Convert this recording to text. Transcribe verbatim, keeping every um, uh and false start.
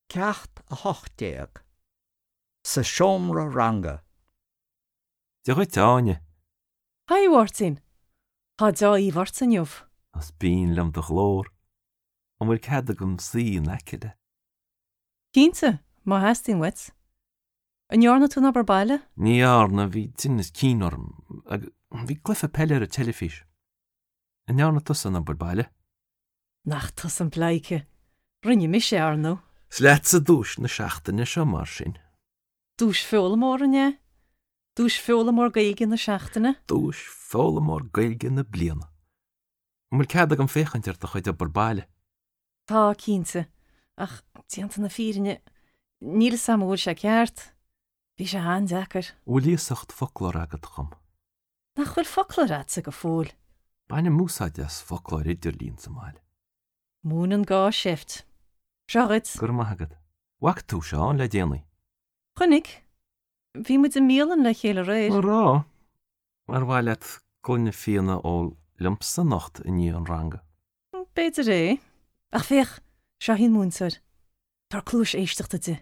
Ceacht a hocht déag. Sa seomra ranga. Dia dhuit, a Áine. Haigh, a Mháirtín. Tá deá-aoibh ort inniu. Is binn liom do ghlór. An bhfuil cead agam suí in aice leat? Cinnte, má theastaíonn uait. An ndearna tú an obair baile? Ní dhearna, bhí tinneas cinn orm agus bhí cluiche peile ar an teilifís. An ndearna tusa an obair baile? Nach tusa an pleidhce. Rinne mise, ar ndóigh. Is leatsa duais na seachtaine seo mar sin. Duais foghlaimeoir, an ea? Duais foghlaimeoir Gaeilge na seachtaine? Duais foghlaimeoir Gaeilge na bliana. An bhfuil cead agam féachaint ar do chuid obair baile? Tá, cinnte. Ach, déanta na fírinne, níl a fhios agam an bhfuil sé ceart. Bhí sé an-deacair. An bhfuil iasacht foclóir agat dhom? Nach bhfuil foclóir agatsa go fóill? Bainim úsáid as foclóir idirlín sa mbaile. Múineann gá seift. Seo dhuit. Go raibh maith agat. Bhfaca tú Seán le déanaí? Chonaic. Bhí muid i mbialann le chéile aréir. An raibh? Ar mhaith leat gloine fíona a ól liomsa anocht i ndiaidh an ranga? B'fhéidir é. Ach féach, seo í an múinteoir. Tabhair cluas éisteachta di.